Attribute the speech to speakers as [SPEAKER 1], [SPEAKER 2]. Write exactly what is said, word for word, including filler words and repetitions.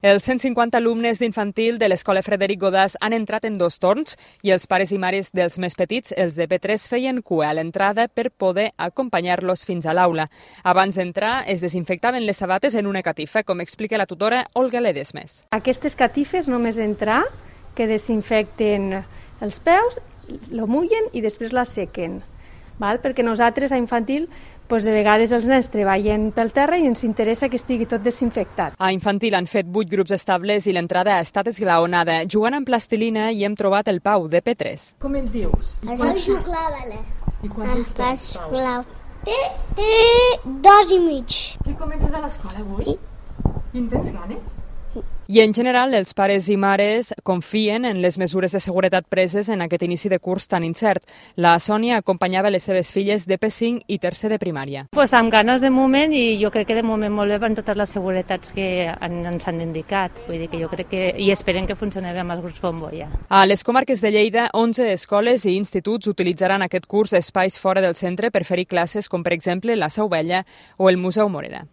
[SPEAKER 1] Els cent cinquanta alumnes d'infantil de l'Escola Frederic Godàs han entrat en dos torns i els pares i mares dels més petits, els de P tres, feien cua a l'entrada per poder acompanyar-los fins a l'aula. Abans d'entrar, es desinfectaven les sabates en una catifa, com explica la tutora Olga Ledesmes.
[SPEAKER 2] Aquestes catifes, només entrar, que desinfecten els peus, lo mullen i després la sequen. Val? Perquè nosaltres a infantil doncs de vegades els nens treballen pel terra i ens interessa que estigui tot desinfectat.
[SPEAKER 1] A infantil han fet vuit grups estables i l'entrada ha estat esglaonada. Jugant amb plastilina hi hem trobat el Pau, de P tres.
[SPEAKER 3] Com et dius?
[SPEAKER 4] Es diu Juclàvela.
[SPEAKER 3] I quants anys tens, Pau?
[SPEAKER 4] Té, té dos i mig.
[SPEAKER 3] Que comences a l'escola avui?
[SPEAKER 4] Sí.
[SPEAKER 3] I en tens ganes?
[SPEAKER 1] I en general, els pares i mares confien en les mesures de seguretat preses en aquest inici de curs tan incert. La Sònia acompanyava les seves filles de P cinc i tercer de primària.
[SPEAKER 5] Pues amb ganes de moment i jo crec que de moment molt bé per totes les seguretats que ens han indicat. Vull dir que jo crec que i esperem que funcioni bé amb els grups bombolla.
[SPEAKER 1] A les comarques de Lleida, onze escoles i instituts utilitzaran aquest curs espais fora del centre per fer-hi classes com per exemple la Seu Vella o el Museu Morera.